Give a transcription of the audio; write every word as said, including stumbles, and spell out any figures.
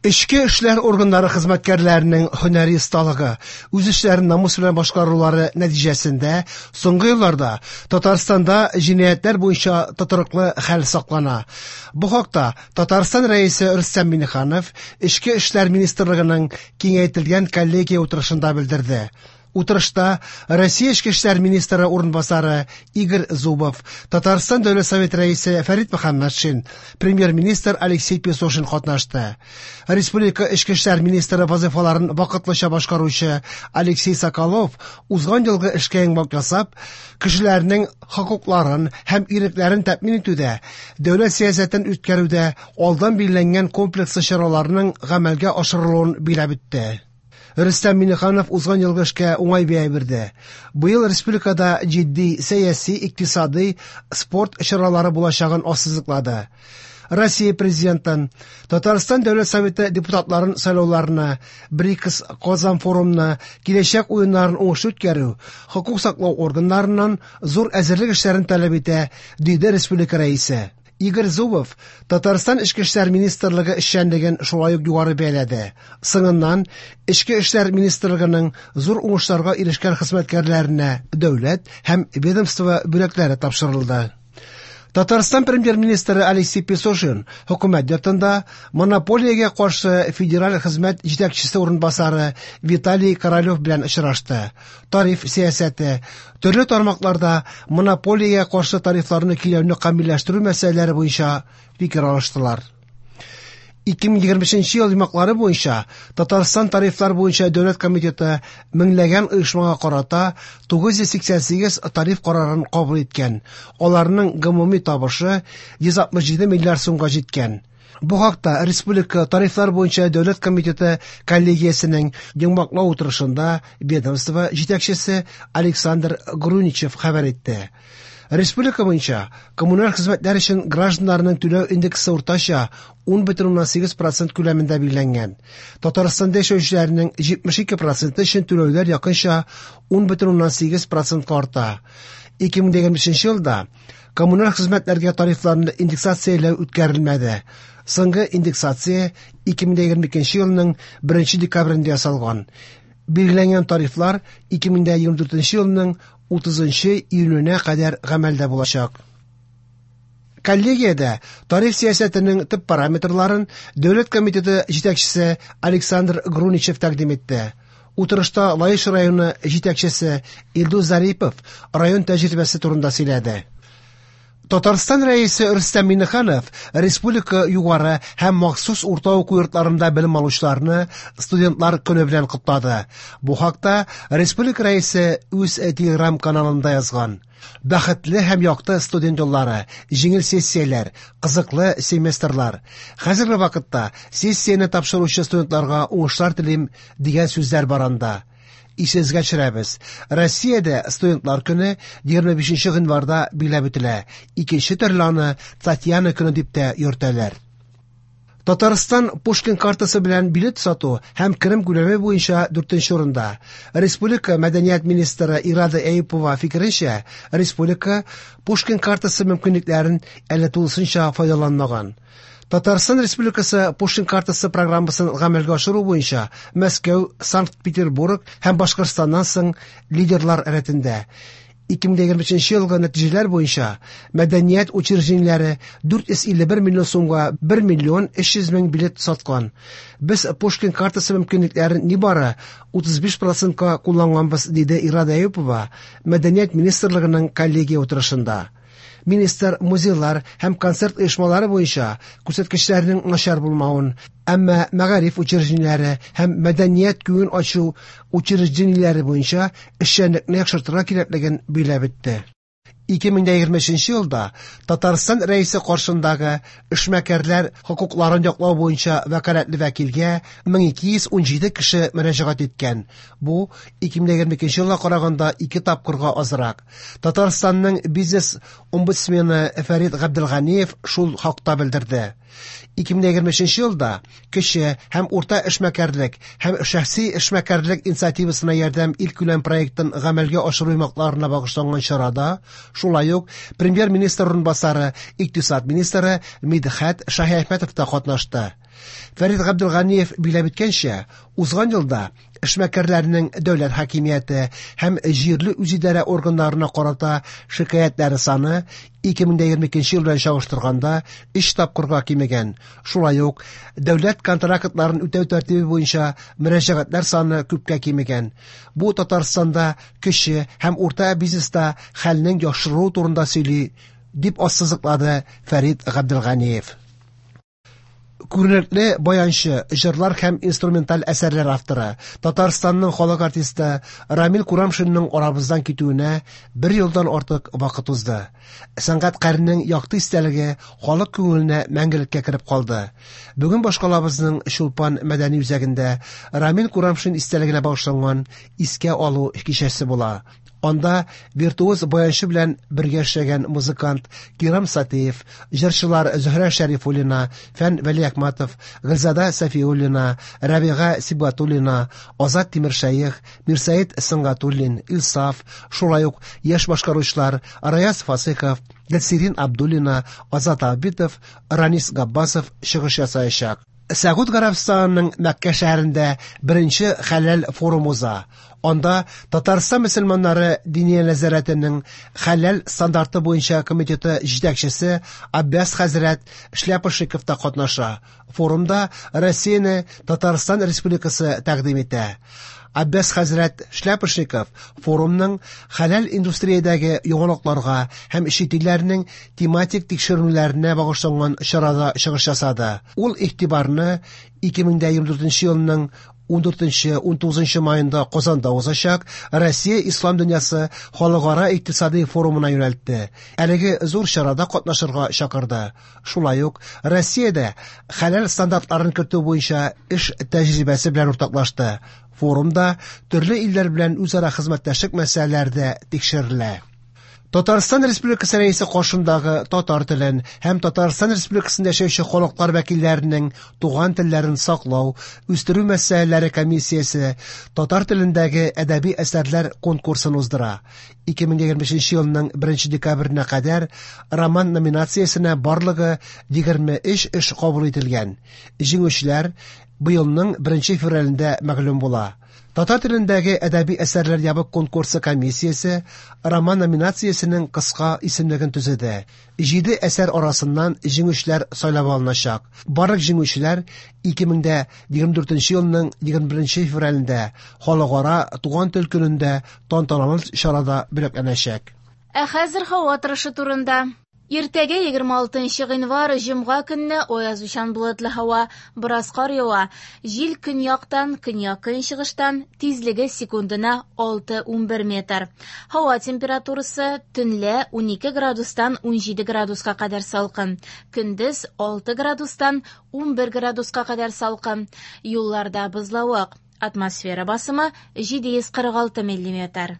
Эчке эшләр органнары хезмәткәрләренең һөнәри осталыгы, үз эшләрен намус белән башкарулары нәтиҗәсендә соңгы елларда Татарстанда җинаятьләр буенча тотрыклы хәл саклана. Бу хакта Татарстан Рәисе Рөстәм Миңнеханов Эчке эшләр министрлыгының киңәйтелгән коллегия утырышында белдерде. Утырышта Россия Эчке эшләр министры урынбасары Игорь Зубов, Татарстан Дәүләт Советы рәисе Фәрит Мөхәммәтшин, премьер-министр Алексей Песошин катнашты. Республика Эчке эшләр министры вазифаларын вакытлыча башкаручы Алексей Соколов узган елгы эшкә йомгак ясап, кешеләрнең хокукларын һәм ирекләрен тәэмин итүдә, дәүләт сәясәтен үткәрүдә алдан билгеләнгән комплекслы чараларның гамәлгә ашырылуын билгеләп үтте. Рөстәм Миңнеханов узган елгы эшкә уңай бәя бирде. Быел республикада җитди сәяси, икътисади, спорт чаралары булачагын ассызыклады. Россия президентын, Татарстан Дәүләт Советы депутатларын сайлауларны, БРИКС Казан форумны, киләчәк уеннарын уңышлы үткәрү, хокук саклау органнарыннан зур әзерлек эшләрен таләп итә, диде республика рәисе. Игорь Зубов Татарстан Эчке эшләр министрлыгы эшчәнлеген шулай ук югары бәяләде. Соңыннан Эчке эшләр министрлыгының зур уңышларга ирешкән хезмәткәрләренә дәүләт һәм ведомство бүләкләре тапшырылды. Татарстан премьер-министры Алексей Песошин хөкүмәт йортында монополиягә каршы федераль хезмәт җитәкчесе урынбасары Виталий Королев белән очрашты. Тариф сәясәте, төрле тармакларда монополиягә каршы тарифларны көйләүне камилләштерү мәсьәләләре буенча фикер алыштылар. ике мең егерме бишенче ел йомгаклары буенча Татарстан тарифлар буенча дәүләт комитеты меңләгән оешмага карата тугыз йөз сиксән сигез тариф карарын кабул иткән. Аларның гомуми табышы йөз алтмыш җиде миллиард сумга җиткән. Бу хакта Республика тарифлар буенча дәүләт комитеты коллегиясенең йомгаклау утырышында ведомство җитәкчесе Александр Груничев хәбәр итте. Республика буенча коммуналь хезмәтләр өчен гражданнарның түләү индексы уртача ун бөтен уннан сигез процент күләмендә билгеләнгән. Татарстанда яшәүчеләрнең җитмеш ике проценты өчен түләүләр якынча ун бөтен уннан сигез процентка арта. ике мең егерме бишенче елда коммуналь хезмәтләргә тарифларны индексацияләү үткәрелмәде. Соңгы индексация ике мең егерме икенче елның беренче декабрендә ясалган. Билгеләнгән тарифлар ике мең егерме дүртенче елның утызынчы июненә кадәр гамәлдә булачак. Коллегиядә тариф сәясәтенең төп параметрларын Дәүләт комитеты җитәкчесе Александр Груничев тәкъдим итте. Утырышта Лаеш районы җитәкчесе Илдус Зарипов район тәҗрибәсе турында сөйләде. Татарстан Рәисе Рөстәм Миңнеханов республика югары һәм махсус урта уку йортларында белем алучыларны студентлар көне белән котлады. Бу хакта республика Рәисе үз Телеграм каналында язган. Бәхетле һәм якты студент еллары, җиңел сессияләр, кызыклы семестрлар. Хәзерге вакытта сессияне тапшыручы студентларга уңышлар телим дигән сүзләр бар анда. Исегезгә төшерәбез. Россиядә студентлар көне егерме бишенче гыйнварда билгеләп үтелә. Икенче төрле аны Татьяна көне дип тә йөртәләр. Татарстан Пушкин картасы белән билет сату һәм керем күләме буенча дүртенче урында. Республика мәдәният министры Ирада Әюпова фикеренчә, республика Пушкин картасы мөмкинлекләрен әле тулысынча файдаланмаган. Татарстан Республикасы Пушкин картасы программасын гамәлгә ашыру буенча Мәскәү, Санкт-Петербург һәм Башкортстаннан соң лидерлар рәтендә. ике мең егерме өченче елгы нәтиҗәләр буенча мәдәният учреждениеләре дүрт йөз илле бер миллион сумга бер миллион өч йөз мең билет саткан. Без Пушкин картасы мөмкинлекләрен нибары утыз биш процентка кулланганбыз, диде Ирада Әюпова Мәдәният министрлыгының коллегия утырышында. Министр музейлар һәм концерт оешмалары буенча күрсәткечләрнең начар булмавын, әмма мәгариф учреждениеләре һәм мәдәният күңел ачу учреждениеләре буенча эшчәнлекне яхшыртырга кирәклеген билгеләп үтте. Ике мең егерме өченче елда Татарстан Рәисе каршындагы эшмәкәрләр хокукларын яклау буенча вәкаләтле вәкилгә мең ике йөз ун җиде кеше мөрәҗәгать иткән. Бу ике мең егерме икенче елга караганда ике тапкырга азрак. Татарстанның бизнес омбудсмены Фәрит Габделганиев шул хакта белдерде. Ике мең егерме өченче елда кече һәм урта эшмәкәрлек һәм шәхси эшмәкәрлек инициативасына ярдәм илкүләм проектын гамәлгә ашыру йомгакларына багышланган чарада шулай ук премьер-министр урынбасары, икътисад министры Мидхәт Шаһиәхмәтов та катнашты. Фәрит Габделганиев билгеләп үткәнчә, узган елда эшмәкәрләрнең дәүләт хакимияте һәм җирле үзидарә органнарына карата шикаятьләре саны ике мең егерме икенче ел белән чагыштырганда өч тапкырга кимегән. Шулай ук дәүләт контрактларын үтәү тәртибе буенча мөрәҗәгатьләр саны күпкә кимегән. Бу Татарстанда кече һәм урта бизнеста хәлнең яхшыруы турында сөйли, дип ассызыклады Фәрит Габделганиев. Күренекле баянчы, җырлар һәм инструменталь әсәрләр авторы, Татарстанның халык артисты Рамил Курамшинның арабыздан китүенә бер елдан артык вакыт узды. Сәнгатькәрнең якты истәлеге халык күңеленә мәңгелеккә кереп калды. Бүген башкалабызның Чулпан мәдәни үзәгендә Рамил Курамшин истәлегенә багышланган искә алу кичәсе була. Анда виртуоз баянчы белән бергә эшләгән музыкант Кирам Сатиев, җырчылар Зөһрә Шәрифуллина, Фән Вәлиәхмәтов, Гөлзада Сафиуллина, Рәбига Сибгатуллина, Азат Тимершәех, Мирсәет Сөнгатуллин, Илсаф, шулай ук яшь башкаручылар Раяз Фасыйхов, Гөлсирин Абдуллина, Азат Абитов, Ранис Габбасов чыгыш ясаячак. Сәгуд Гарәбстанының Мәккә шәһәрендә беренче хәләл форум уза. Анда Татарстан мөселманнары Диния нәзарәтенең хәләл стандарты буенча комитеты җитәкчесе Аббас хәзрәт Шляпошников та катнаша. Форумда Россияне Татарстан Республикасы тәкъдим итә. Аббас хәзрәт Шляпошников форумның хәләл индустриядәге яңалыкларга һәм чит илләрнең тематик тикшеренүләренә багышланган чарада чыгыш ясады. Ул игътибарны ике мең егерме дүртенче елның ун дүртенче, ун тугызынчы майында Казанда узачак Россия Ислам дөньясы халыкара икътисади форумына юнәлтте. Әлеге зур чарада катнашырга чакырды. Шулай ук Россиядә хәләл стандартларын кертү буенча эш тәҗрибәсе белән уртаклашты. Форумда төрле илләр белән үзара хезмәттәшлек мәсьәләләре дә тикшерелә. Татарстан Республикасы Рәисе каршындагы татар телен һәм Татарстан Республикасында яшәүче халыклар вәкилләренең туган телләрен саклау, үстерү мәсьәләләре комиссиясе татар телендәге әдәби әсәрләр конкурсын уздыра. ике мең егерме бишенче елның беренче декабренә кадәр роман номинациясенә барлыгы егерме өч эш кабул ителгән. Җиңүчеләр быелның беренче февралендә мәгълүм була. Татар телендәге әдәби әсәрләр ябык конкурсы комиссиясе роман номинациясенең кыска исемлеген төзеде. Җиде әсәр арасыннан җиңүчеләр сайлап алыначак. Барлык җиңүчеләр ике мең егерме дүртенче елның егерме беренче февралендә Халыкара туган тел көнендә тантаналы чарада бүләкләнәчәк. Ә хәзер һава торышы турында. Иртәгә егерме алтынчы гыйнвар җомга көнне аязучан болытлы һава, бераз кар ява. Җил көньяктан, көньяк-көнчыгыштан, тизлеге секундына алты унбер метр. Һава температурасы төнлә унике градустан унҗиде градуска кадәр салкын, көндез алты градустан унбер градуска кадәр салкын. Юлларда бозлавык. Атмосфера басымы җиде йөз кырык алты миллиметр.